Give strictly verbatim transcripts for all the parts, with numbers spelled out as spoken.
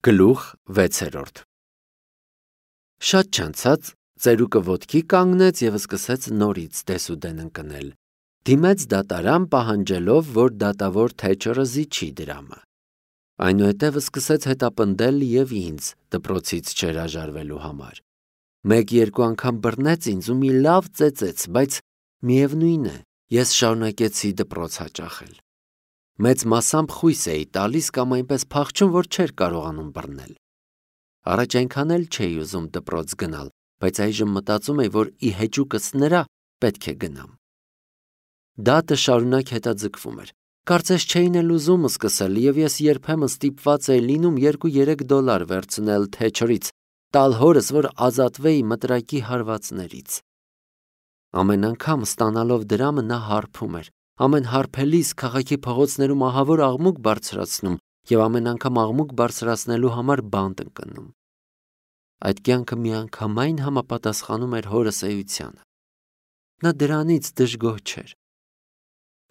Գլուխ վեցերորդ Շատ չանցած ծերուկը ոտքի կանգնեց և սկսեց նորից դեսուդեն ընկնել, դիմեց դատարան պահանջելով, որ դատավոր Թեչերը զիջի դրամը, այնուհետև սկսեց հետապնդել և ինձ դպրոցից չհրաժարվելու համար, մեկ-երկու անգամ բռնեց ինձ ու մի լավ ծեծեց, բայց միևնույն է, ես շարունակեցի դպրոց հաճախել, մեծ մասամբ խույս էի տալիս կամ այնպես փախչում, որ չէր կարողանում բռնել, առաջ այնքան էլ չէի ուզում դպրոց գնալ, բայց այժմ մտածում էի, որ ի հեճուկս նրա պետք է գնամ, դատը շարունակ հետաձգվում էր, կարծես չէին էլ ուզում սկսել և ես երբեմն ստիպված էի լինում երկու-երեք դոլար վերցնել Թեչերից, տալ հորս, որ ազատվեի մտրակի հարվածներից, ամեն անգամ ստանալով դրամը նա հարբում էր, ամեն հարբելիս քաղաքի փողոցներում ահավոր աղմուկ բարձրացնում և ամեն անգամ աղմուկ բարձրացնելու համար բանտ ընկնում, այդ կյանքը միանգամայն համապատասխանում էր հորս էությանը, նա դրանից դժգոհ չէր,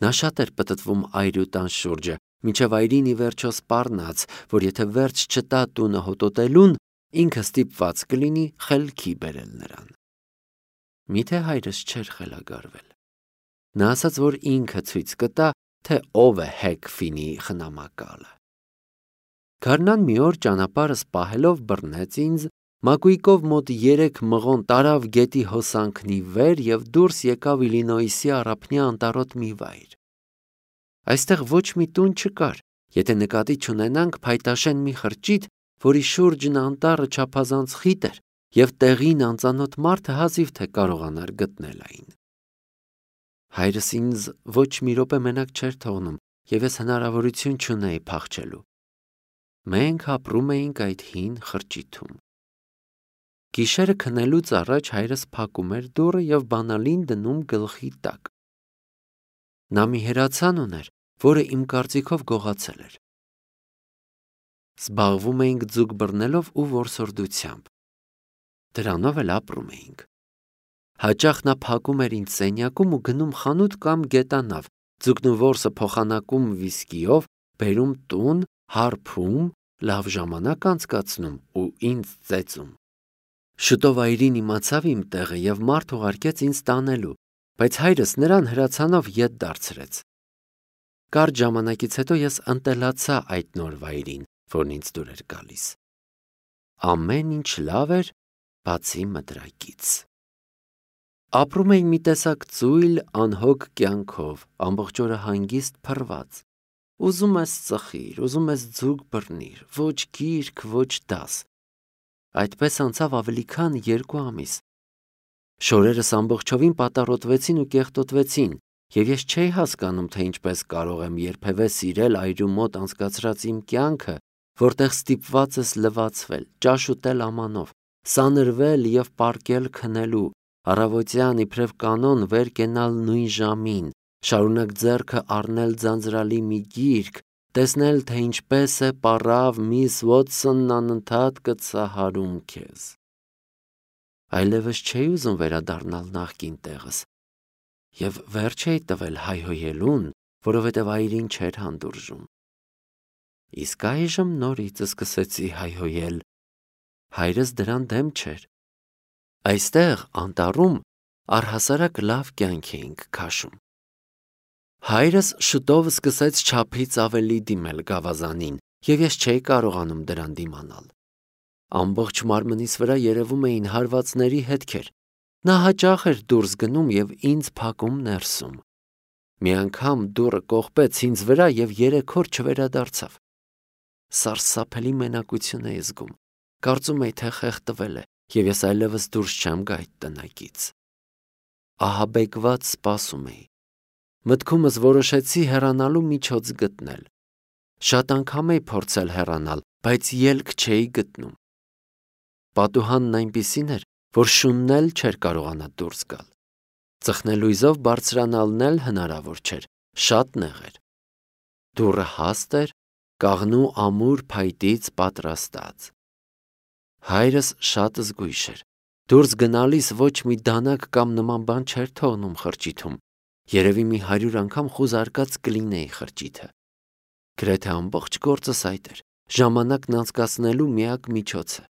նա շատ էր պտտվում այրի ու տան շուրջը, մինչև այրին ի վերջո սպառնաց, որ եթե վերջ չտա տունը հոտոտելուն, ինքը ստիպված կլինի խելքի բերել նրան, միթե հայրս չէր խելագարվել, նա ասաց, որ ինքը ցույց կտա, թե ով է Հեքֆինի խնամակալը, գարնան մի օր ճանապարհս պահելով բռնեց ինձ, մակույկով մոտ երեք մղոն տարավ գետի հոսանքն ի վեր և դուրս եկավ Իլինոյսի առափնյա անտառոտ մի վայր, այստեղ ոչ մի տուն չկար, եթե նկատի չունենանք փայտաշեն մի խրճիթ, որի շուրջն անտառը չափազանց խիտ էր և տեղին անծանոթ մարդը հազիվ թե կարողանար գտնել այն, հայրս ինձ ոչ մի րոպե մենակ չէր թողնում և ես հնարավորություն չունեի փախչելու, մենք ապրում էինք այդ հին խրճիթում, գիշերը քնելուց առաջ հայրս փակում էր դուռը և բանալին դնում գլխի տակ, նա մի հրացան ուներ, որը իմ կարծիքով գողացել էր, զբաղվում էինք ձուկ բռնելով ու որսորդությամբ, դրանով էլ ապրում էինք, հաճախ նա փակում էր ինձ սենյակում ու գնում խանութ կամ գետանավ, ձուկն ու որսը փոխանակում վիսկիով, բերում տուն, հարբում, լավ ժամանակ անցկացնում ու ինձ ծեծում, շուտով այրին իմացավ իմ տեղը և մարդ ուղարկեց ինձ տանելու, բայց հայրս նրան հրացանով ետ դարձրեց, կարճ ժամանակից հետո ես ընտելացա այդ նոր վայրին, որն ինձ դուր էր գալիս, ամեն ինչ լավ էր, բացի մտրակից, ապրում էի մի տեսակ ծույլ, անհոգ կյանքով, ամբողջ օրը հանգիստ փռված, ուզում ես ծխիր, ուզում ես ձուկ բռնիր, ոչ գիրք, ոչ դաս, այդպես անցավ ավելի քան երկու ամիս, շորերս ամբողջովին պատառոտվեցին ու կեղտոտվեցին և ես չէի հասկանում, թե ինչպես կարող եմ երբևէ սիրել այրու մոտ անցկացրած իմ կյանքը, որտեղ ստիպված ես լվացվել, ճաշ ուտել ամանով, սանրվել և պառկել քնելու, առավոտյան իբրև կանոն վեր կենալ նույն ժամին, շարունակ ձեռքը առնել ձանձրալի մի գիրք, տեսնել, թե ինչպես է պառավ միս Ուոթսոնն անընդհատ կծահարում քեզ, այլևս չէի ուզում վերադառնալ նախկին տեղս և վերջ էի տվել հայհոյելուն, որովհետև այրին չէր հանդուրժում, իսկ այժմ նորից սկսեցի հայհոյել, հայրս դրան դեմ չէր, այստեղ անտառում առհասարակ լավ կյանք էինք քաշում, հայրս շուտով սկսեց չափից ավելի դիմել գավազանին և ես չէի կարողանում դրան դիմանալ, ամբողջ մարմնիս վրա երևում էին հարվածների հետքեր, նա հաճախ էր դուրս գնում և ինձ փակում ներսում, մի անգամ դուռը կողպեց ինձ վրա և երեք օր չվերադարձավ, սարսափելի մենակություն էի զգում, կարծում էի, թե խեղդվել է և ես այլևս դուրս չեմ գա այդ տնակից, ահաբեկված սպասում էի, մտքումս որոշեցի հեռանալու միջոց գտնել, շատ անգամ էի փորձել հեռանալ, բայց ելք չէի գտնում, պատուհանն այնպիսին էր, որ շունն էլ չէր կարողանա դուրս գալ, ծխնելույզով բարձրանալն էլ հնարավոր չէր, շատ նեղ էր, դուռը հաստ էր, կաղնու ամուր փայտից պատրաստած, հայրս շատ զգույշ էր, դուրս գնալիս ոչ մի դանակ կամ նման բան չէր թողնում խրճիթում, երևի մի հարյուր անգամ խուզարկած կլինեի խրճիթը, գրեթե ամբողջ գործս այդ էր, ժամանակն անցկացնելու միակ միջոցը։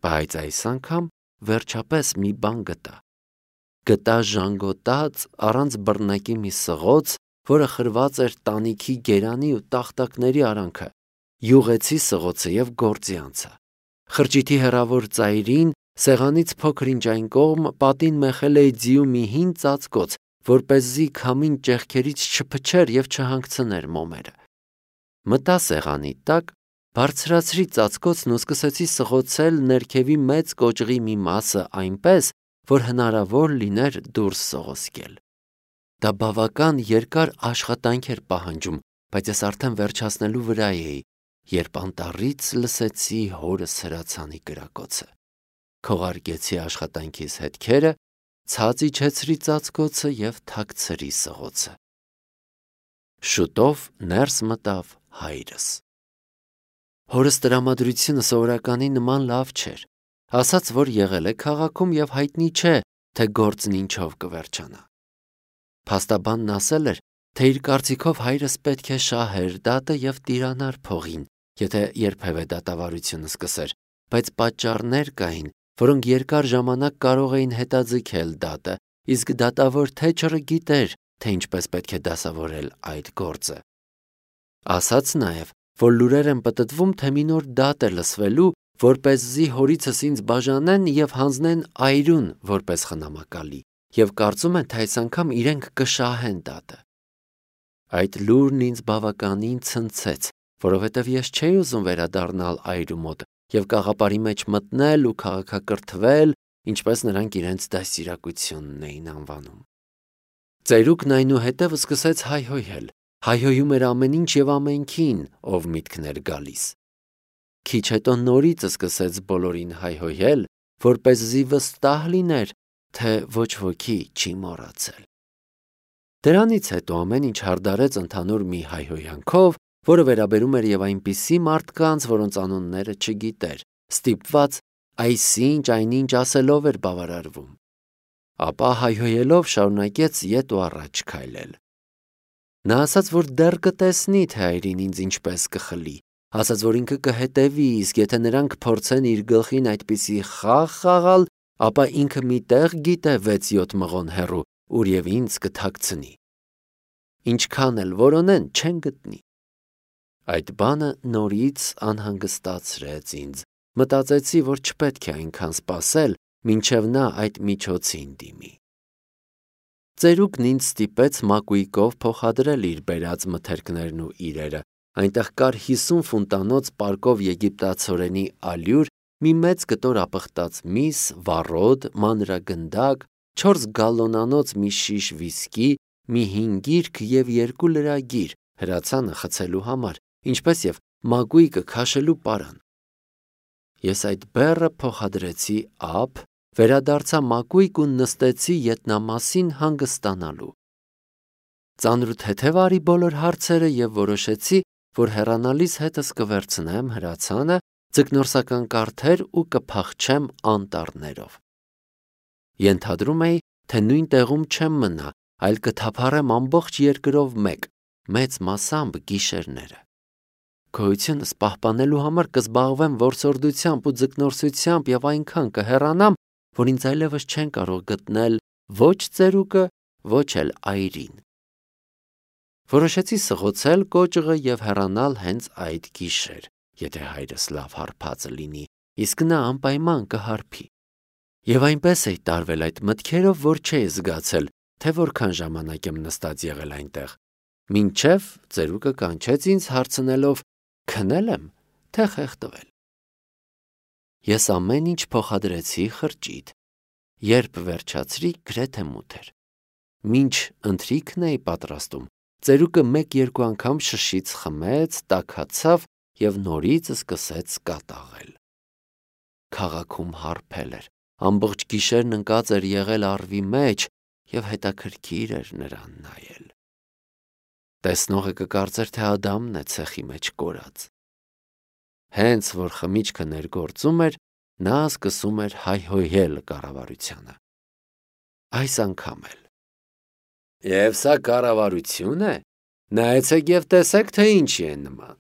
Բայց այս անգամ վերջապես մի բան գտա։ Գտա ժանգոտած առանց բռնակի մի սղոց, որը խրված էր տանիքի գերանի ու տախտակների արանքը, յուղեցի սղոցը և գործի անցա։ Խրճիթի հեռավոր ծայրին, սեղանից փոքր-ինչ այն կողմ, պատին մեխել էի ձիու մի հին ծածկոց, որպեսզի քամին ճեղքերից չփչեր և չհանգցներ մոմերը։ Մտա սեղանի տակ, բարձրացրի ծածկոցն ու սկսեցի սղոցել ներքևի մեծ կոճղի մի մասը այնպես, որ հնարավոր լիներ դուրս սողոսկել։ Դա բավական երկար աշխատանք էր պահանջում, բայց ես արդեն վերջացնելու վրա էի, երբ անտառից լսեցի հորս հրացանի կրակոցը։ Քողարկեցի աշխատանքիս հետքերը, ցած իջեցրի ծածկոցը և թաքցրի սղոցը։ Շուտով ներս մտավ հայրս։ Հորս տրամադրությունը սովորականի նման լավ չէր, ասաց, որ եղել է քաղաքում և հայտնի չէ, թե գործն ինչով կվերջանա։ Փաստաբանն ասել էր, թե իր կարծիքով հայրս պետք է շահեր դատը և տիրանար փողին, եթե երբևէ դատավարությունը սկսեր, բայց պատճառներ կային, որոնք երկար ժամանակ կարող էին հետաձգել դատը, իսկ դատավոր թեչերը գիտեր, թե ինչպես պետք է դասավորել այդ գործը։ Ասաց նաև, որ լուրեր են պտտվում, թե մի նոր դատ է լսվելու, որպեսզի հորիցս ինձ բաժանեն և հանձնեն այրուն որպես խնամակալի, և կարծում են, թե այս անգամ իրենք կշահեն դատը։ Այդ լուրն ինձ բավականին ցնցեց, որովհետև ես չէի ուզում վերադառնալ այրու մոտ և կաղապարի մեջ մտնել ու քաղաքակրթվել, ինչպես նրանք իրենց դաստիարակությունն էին անվանում։ Ծերուկն այնուհետև սկսեց հայհոյել, հայհոյում էր ամեն ինչ և ամենքին, ով միտքն էր գալիս։ Քիչ հետո նորից սկսեց բոլորին հայհոյել, որպեսզի վստահ լիներ, թե ոչ ոքի չի մոռացել։ Դրանից հետո ամեն ինչ հարդարեց ընդհանուր մի հայհոյանքով, որը վերաբերում էր և այնպիսի մարդկանց, որոնց անունները չգիտեր, ստիպված այսինչ այնինչ ասելով էր բավարարվում։ Ապա հայհոյելով շարունակեց ետ ու առաջ քայլել։ Նա ասաց, որ դեռ կտեսնի, թե այրին ինձ ինչպես կխլի, ասաց, որ ինքը կհետևի, իսկ եթե նրանք փորձեն իր գլխին այդպիսի խաղ խաղալ, ապա ինքը մի տեղ գիտե վեց-յոթ մղոն հեռու, ուր և ինձ կթաքցնի։ Ինչքան էլ որոնեն, չեն գտնի։ Այդ բանը նորից անհանգստացրեց ինձ։ Մտածեցի, որ չպետք է այնքան սպասել, մինչև նա այդ միջոցին դիմի։ Ծերուկն ինձ ստիպեց մակույկով փոխադրել իր բերած մթերքներն ու իրերը։ Այնտեղ կար հիսուն ֆունտանոց պարկով եգիպտացորենի ալյուր, մի մեծ կտոր ապխտած միս, վառոդ, մանրագնդակ, չորս գալլոնանոց մի շիշ վիսկի, մի հին գիրք և երկու լրագիր հրացանը խցելու համար, ինչպես և մակույկը քաշելու պարան։ Ես այդ բեռը փոխադրեցի ափ, վերադարձա մակույկ ու նստեցի ետնամասին հանգստանալու։ Ծանր ու թեթև արի բոլոր հարցերը և որոշեցի, որ հեռանալիս հետս կվերցնեմ հրացանը, ձկնորսական կարթեր ու կփախչեմ անտառներով։ Ենթադրում էի, թե նույն տեղում չեմ մնա, այլ կթափառեմ ամբողջ երկրով մեկ, մեծ մասամբ գիշերները։ Գոյությունս պահպանելու համար կզբաղվեմ որսորդությամբ ու ձկնորսությամբ և այնքան կհեռանամ, որ ինձ այլևս չեն կարող գտնել ոչ ծերուկը, ոչ էլ այրին։ Որոշեցի սղոցել կոճղը և հեռանալ հենց այդ գիշեր, եթե հայրս լավ հարբածը լինի, իսկ նա անպայման կհարբի։ Եվ այնպես էի տարվել այդ մտքերով, որ չէի զգացել, թե որքան ժամանակ եմ նստած եղել այնտեղ, մինչև ծերուկը կանչեց ինձ հարցնելով. քնել եմ, թե խեղդվել։ Ես ամեն ինչ փոխադրեցի խրճիթ, երբ վերջացրի, գրեթե մութ էր։ Մինչ ընթրիքն էի պատրաստում, ծերուկը մեկ-երկու անգամ շշից խմեց, տաքացավ և նորից սկսեց կատաղել։ Քաղաքում հարբել էր, ամբողջ գիշերն ընկած էր եղել առվի մեջ և հետաքրքիր էր նրան նայել։ Տեսնողը կկարծեր, թե Ադամն է ցեխի մեջ կորած։ Հենց որ խմիչքը ներգործում էր, նա սկսում էր հայհոյել կառավարությանը։ Այս անգամ էլ։ Եվ սա կառավարություն է։ Նայեցեք և տեսեք, թե ինչի է նման։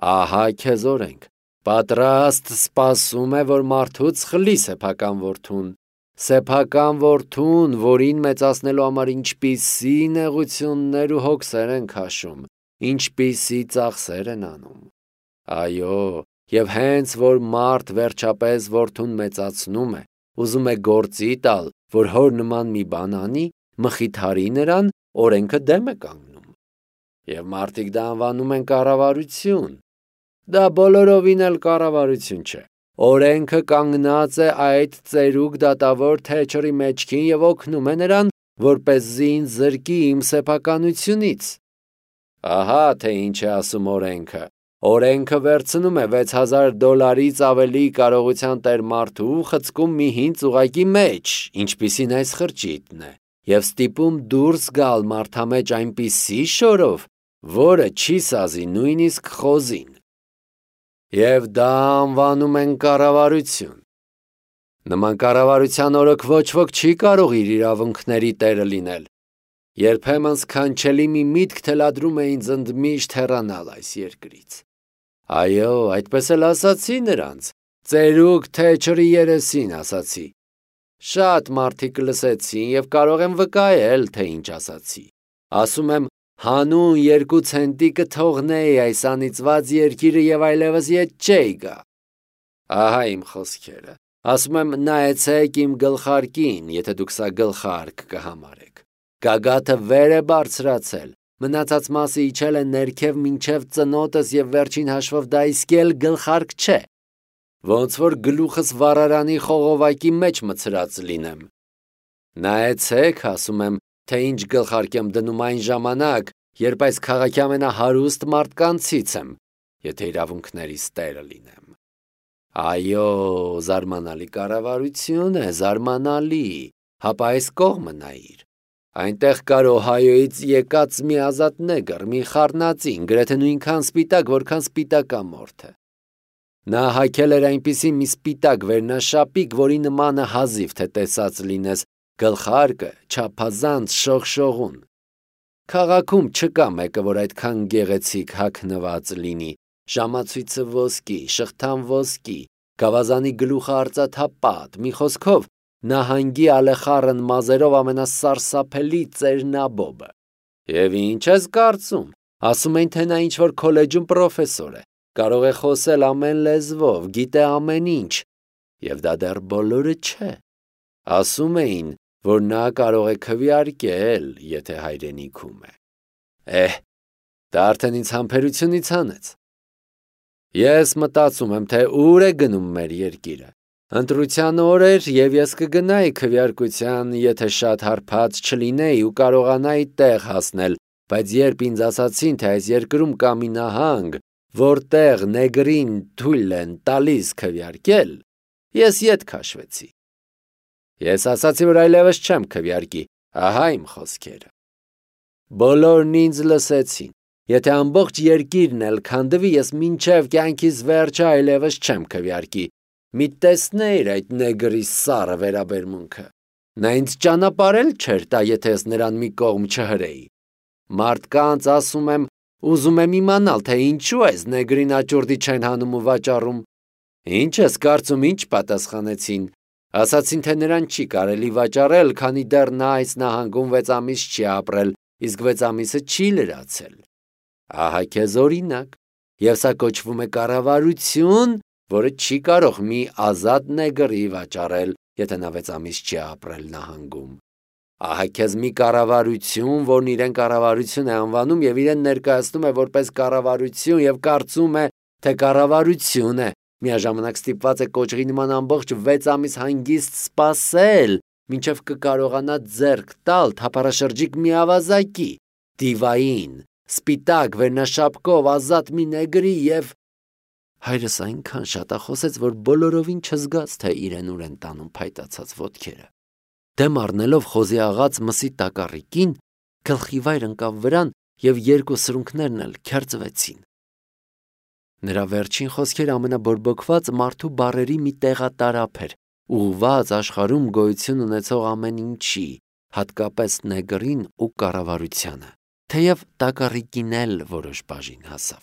Ահա քեզ օրենք, պատրաստ սպասում է, որ մարդուց խլի սեփական որդուն, սեփական որդուն, որին մեծացնելու համար ինչպիսի նեղություններ ու հոգսեր են քաշում, ինչպիսի ծախսեր են անում։ Այո, եւ հենց որ մարդ վերջապես որդուն մեծացնում է, ուզում է գործի տալ, որ հոր նման մի բան անի, մխիթարի նրան, օրենքը դեմ է կանգնում։ Եվ մարդիկ դա անվանում են կառավարություն։ Դա բոլորովին էլ կառավարություն չէ։ Օրենքը կանգնած է այդ ծերուկ դատավոր թեչերի մեջքին եւ օգնում է նրան, որպեսզի ինձ զրկի իմ սեփականությունից։ Ահա թե ինչ է ասում օրենքը։ Օրենքը վերցնում է վեց հազար դոլարից ավելի կարողության տեր մարդու խցկում մի հին ծուղակի մեջ, ինչպիսին այս խրճիթն է, եւ ստիպում դուրս գալ մարդամեջ այնպիսի շորով, որը չի սազի նույնիսկ խոզին։ Եվ դա անվանում են կառավարություն։ Նման կառավարության օրոք ոչ ոք չի կարող իր իրավունքների տերը լինել։ Երբեմն սքանչելի մի միտք թելադրում է ինձ ընդմիշտ հեռանալ այս երկրից։ Այո, այդպես էլ ասացի նրանց, ծերուկ թեչերի երեսին ասացի։ Շատ մարդիկ լսեցին եւ կարող եմ վկայել, թե ինչ ասացի։ Ասում եմ, հանուն երկու ցենտի կթողնեի այս անիծված երկիրը եւ այլևս ետ չէի գա։ Ահա իմ խոսքերը։ Ասում եմ, նայեցեք իմ գլխարկին, եթե դուք սա գլխարկ կհամարեք։ Գագաթը վեր է բարձրացել, մնացած մասը իջել է ներքև մինչև ծնոտս եւ վերջին հաշվով դա իսկ էլ գլխարկ չէ։ Ոնց որ գլուխս վառարանի խողովակի մեջ մցրած լինեմ։ Նայեցեք, ասում եմ, թե ինչ գլխարկ եմ դնում այն ժամանակ, երբ այս քաղաքի ամենահարուստ մարդկանցից եմ, եթե իրավունքներիս տերը լինեմ։ Այո, զարմանալի կառավարություն է, զարմանալի, հապա այս կողմը նայիր։ Այնտեղ կար Օհայոյից եկած մի ազատ նեգր, մի խառնածին, գրեթե նույնքան սպիտակ, որքան սպիտակամորթը։ Նա հագել էր այնպիսի մի սպիտակ վերնաշապիկ, որի նմանը հազիվ թե տեսած լինես, գլխարկը չափազանց շողշողուն։ Քաղաքում չկա մեկը, որ այդքան գեղեցիկ հագնված լինի, ժամացույցը ոսկի, շղթան ոսկի, գավազանի գլուխը արծաթապատ, մի խոսքով նահանգի ալեխառն մազերով ամենասարսափելի ծերնաբոբը։ Եվ ինչ ես կարծում, ասում են, թե նա ինչ-որ քոլեջում պրոֆեսոր է, կարող է խոսել ամեն լեզվով, գիտե ամեն ինչ, եւ դա դեռ բոլորը չէ։ Ասում էին, որ նա կարող է քվեարկել, եթե հայրենիքում է։ Էհ, դա արդեն ինձ համբերությունից հանեց։ Ես մտածում եմ, թե ուր է գնում մեր երկիրը։ Ընտրության օր էր, եւ ես կգնայի քվեարկության, եթե շատ հարբած չլինեի ու կարողանայի տեղ հասնել, բայց երբ ինձ ասացին, թե այս երկրում կա մի նահանգ, որտեղ նեգրին թույլ են տալիս քվեարկել, ես ետ քաշվեցի։ Ես ասացի, որ այլևս չեմ քվեարկի, ահա իմ խոսքերը։ Բոլորն ինձ լսեցին։ Եթե ամբողջ երկիրն էլ քանդվի, ես մինչև կյանքիս վերջը այլևս չեմ քվեարկի։ Մի տեսնեիր այդ նեգրի սառը վերաբերմունքը։ Նա ինձ ճանապարհել չէր տա, եթե ես նրան մի կողմ չհրեի։ Մարդկանց ասում եմ, ուզում եմ իմանալ, թե ինչու այս նեգրին աճուրդի չեն հանում ու վաճառում։ Ինչ ես կարծում, ինչ պատասխանեցին։ Ասացին, թե նրան չի կարելի վաճառել, քանի դեռ նա այս նահանգում վեց ամիս չի ապրել, իսկ վեց ամիսը չի լրացել։ Ահա քեզ օրինակ, եւ սա կոչվում է կառավարություն, որը չի կարող մի ազատ նեգրի վաճառել, եթե նա վեց ամիս չի ապրել նահանգում։ Ահա քեզ մի կառավարություն, որն իրեն կառավարություն է անվանում եւ իրեն ներկայացնում է որպես կառավարություն եւ կարծում է, թե կառավարություն է, միաժամանակ ստիպված է կոճղի նման ամբողջ վեց ամիս հանգիստ սպասել, մինչև կկարողանա ձեռք տալ թափառաշրջիկ մի ավազակի, դիվային, սպիտակ վերնաշապկով ազատ մի նեգրի եւ հայրս այնքան շատախոս էր, որ բոլորովին չզգաց, թե իրեն ուր են տանում փայտացած ոտքերը։ Դեմ առնելով խոզի աղած մսի տակառիկին, գլխի վայր ընկավ վրան եւ երկու սրունքներն էլ քերծվեցին։ Նրա վերջին խոսքերը ամենաբորբոքված մարդու բառերի մի տեղատարափ էր, ուղղված աշխարհում գոյություն ունեցող ամեն ինչի, հատկապես նեգրին ու կառավարությանը, թեև տակառիկին էլ որոշ բաժին հասավ։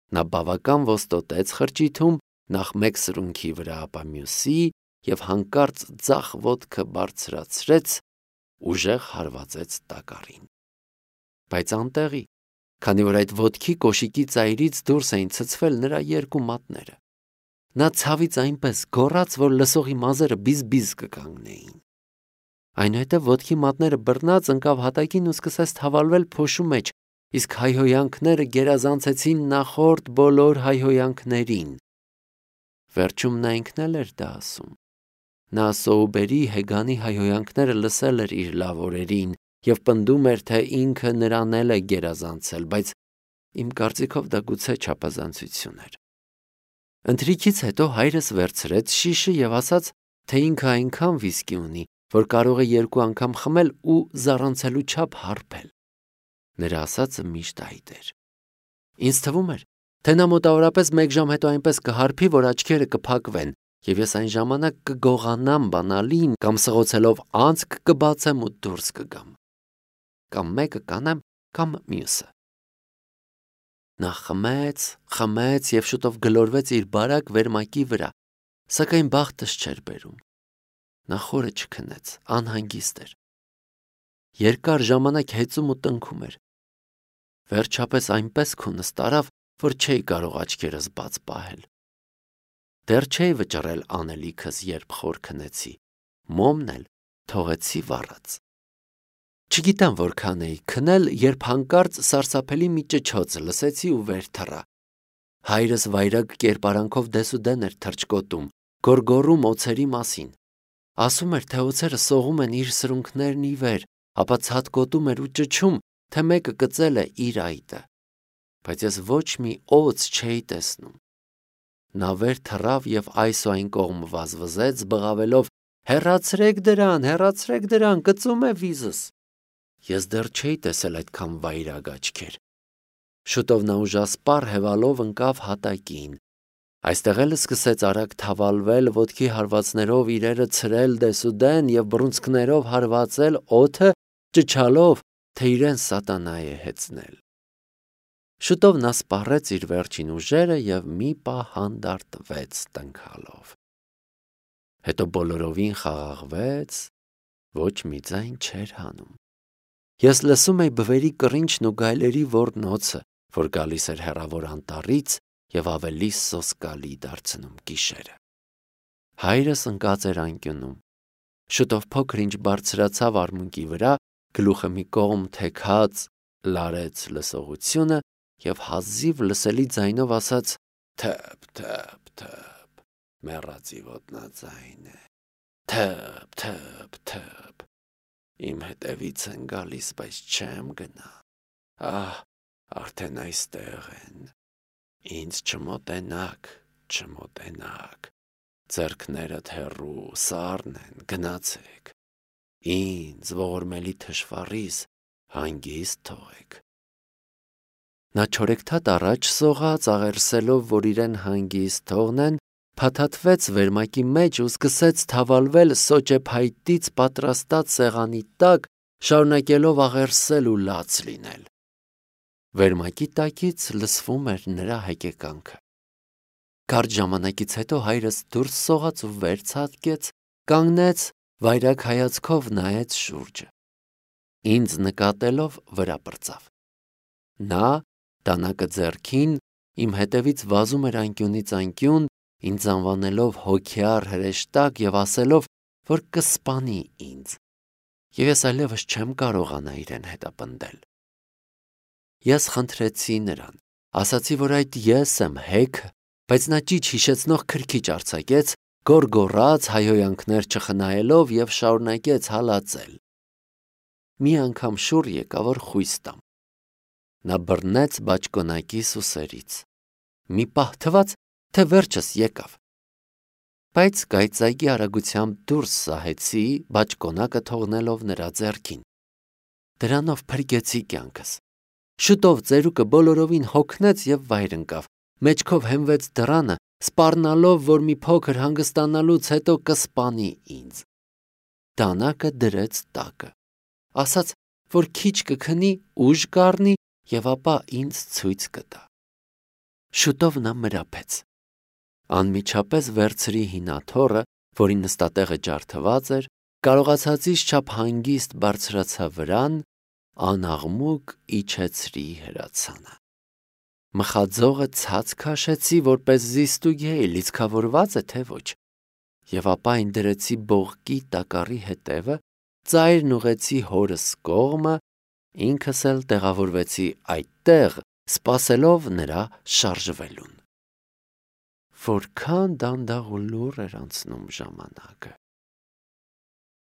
Նա բավական ոստոտեց խրճիթում, նախ մեկ սրունքի վրա, ապա մյուսի և հանկարծ ձախ ոտքը բարձրացրեց, ուժեղ հարվածեց տակառին։ Բայց անտեղի, քանի որ այդ ոտքի կոշիկի ծայրից դուրս էին ցցվել նրա երկու մատները։ Նա ցավից այնպես գոռաց, որ լսողի մազերը բիզ-բիզ կկանգնեին։ Այնուհետև ոտքի մատները բռնած ընկավ հատակին ու սկսեց թավալվել փոշու մեջ, իսկ հայհոյանքները գերազանցեցին նախորդ բոլոր հայհոյանքներին։ Վերջում նա ինքն էլ էր դա ասում։ Նա Սոուբերի Հեգանի հայհոյանքները լսել էր իր լավ օրերին և պնդում էր, թե ինքը նրան էլ է գերազանցել, բայց իմ կարծիքով դա գուցե չափազանցություն էր։ Ընթրիքից հետո հայրս վերցրեց շիշը և ասաց, թե ինքը այնքան վիսկի ունի, որ կարող է երկու անգամ խմել ու զառանցելու չափ հարբել։ Նրա ասածը միշտ այդ էր։ Ինձ թվում էր, թե նա մոտավորապես մեկ ժամ հետո այնպես կհարբի, որ աչքերը կփակվեն, և ես այն ժամանակ կգողանամ բանալին կամ սղոցելով անցք կբացեմ ու դուրս կգամ։ Կամ մեկը կանեմ, կամ մյուսը։ Նա խմեց, խմեց և շուտով գլորվեց իր բարակ վերմակի վրա, սակայն բախտս չէր բերում։ Նա խորը չքնեց, անհանգիստ էր։ Երկար ժամանակ հեծում ու տնքում էր։ Վերջապես այնպես քունս տարավ, որ չէի կարող աչքերս բաց պահել։ Դեռ չէի վճռել անելիքս, երբ խոր քնեցի, մոմն էլ թողեցի վառած։ Չգիտեմ որքան էի քնել, երբ հանկարծ սարսափելի մի ճչոց լսեցի ու վեր թռա։ Հայրս վայրագ կերպարանքով դեսուդեն էր թռչկոտում, գոռգոռում օձերի մասին։ Ասում էր, թե օձերը սողում են իր սրունքներն ի վեր, ապա ցատկոտում էր ու ճչում, թե մեկը կծել է իր այտը։ Բայց ես ոչ մի օձ չէի տեսնում։ Նա վեր թռավ և այս ու այն կողմ վազվզեց, բղավելով. «Հեռացրեք դրան, հեռացրեք դրան, կծում է վիզս»։ Ես դեռ չէի տեսել այդքան վայրագ աչքեր։ Շուտով նա ուժասպառ հևալով ընկավ հատակին։ Այստեղ էլ սկսեց արագ թավալվել, ոտքի հարվածներով իրերը ցրել դեսուդեն և բռունցքներով հարվածել օդը, ճչալով, թե իրեն սատանա է հեծնել։ Շուտով նա սպառեց իր վերջին ուժերը և մի պահ հանդարտվեց տնքալով։ Հետո բոլորովին խաղաղվեց, ոչ մի ձայն չէր հանում։ Ես լսում էի բվերի կռինչն ու գայլերի ոռնոցը, որ գալիս էր հեռավոր անտառից և ավելի սոսկալի դարձնում գիշերը։ Հայրս ընկած էր անկյունում։ Շուտով փոքր-ինչ բարձրացավ արմունկի վրա, գլուխը մի կողմ թեքած լարեց լսողությունը և հազիվ լսելի ձայնով ասաց. «Թը՛փ, թը՛փ, թը՛փ, մեռածի ոտնաձայն է, թը՛փ, թը՛փ, թը՛փ, իմ հետևից են գալիս, բայց չեմ գնա, ահ, արդեն այստեղ են, ինձ չմոտենաք, չմոտենաք, ձեռքներդ հեռու, սառն են, գնացեք, ինձ ողորմելի թշվառիս հանգիստ թողեք»։ Նա չորեքթաթ առաջ սողաց, աղերսելով, որ իրեն հանգիստ թողնեն, փաթաթվեց վերմակի մեջ ու սկսեց թավալվել սոճեփայտից պատրաստած սեղանի տակ, շարունակելով աղերսել ու լաց լինել։ Վերմակի տակից լսվում էր նրա հեկեկանքը։ Կարճ ժամանակից հետո հայրս դուրս սողաց ու վեր ցատկեց, կանգնեց, վայրագ հայացքով նայեց շուրջը։ Ինձ նկատելով վրա պրծավ։ Նա, դանակը ձեռքին, իմ հետևից վազում էր անկյունից անկյուն, ինձ անվանելով հոգյար հրեշտակ և ասելով, որ կսպանի ինձ, և ես այլևս չեմ կարողանա իրեն հետապնդել։ Ես խնդրեցի նրան, ասացի, որ այդ ես եմ հեքը, բայց նա ճիչ հիշեցնող քրքիջ արձակեց, գոռգոռաց, հայհոյանքներ չխնայելով և շարունակեց հալածել։ Մի անգամ շուռ եկա, որ խույս տամ։ Նա բռնեց բաճկոնակի սուսերից։ Մի պահ թվաց, թե վերջս եկավ։ Բայց կայծակի արագությամբ դուրս սահեցի, բաճկոնակը թողնելով նրա ձեռքին։ Դրանով փրկեցի կյանքս։ Շուտով ծերուկը բոլորովին հոգնեց և վայր ընկավ, մեջքով հենվեց դռանը, սպառնալով, որ մի փոքր հանգստանալուց հետո կսպանի ինձ։ Դանակը դրեց տակը, ասաց, որ քիչ կքնի, ուժ կառնի և ապա ինձ ցույց կտա։ Շուտով նա մրափեց։ Անմիջապես վերցրի հինաթոռը, որի նստատեղը ջարդված էր, կարողացածից չափ հանգիստ բարձրացա վրան, անաղմուկ իջեցրի հրացանը։ Մխաձողը ցած քաշեցի, որպես զիստուգեի, լիցքավորված է թե ոչ, եւ ապա այն դրեցի բողկի տակառի հետևը, ծայրն ուղեցի հորս կողմը, ինքս էլ տեղավորվեցի այդտեղ, սպասելով նրա շարժվելուն։ Որքան դանդաղ ու լուռ էր անցնում ժամանակը։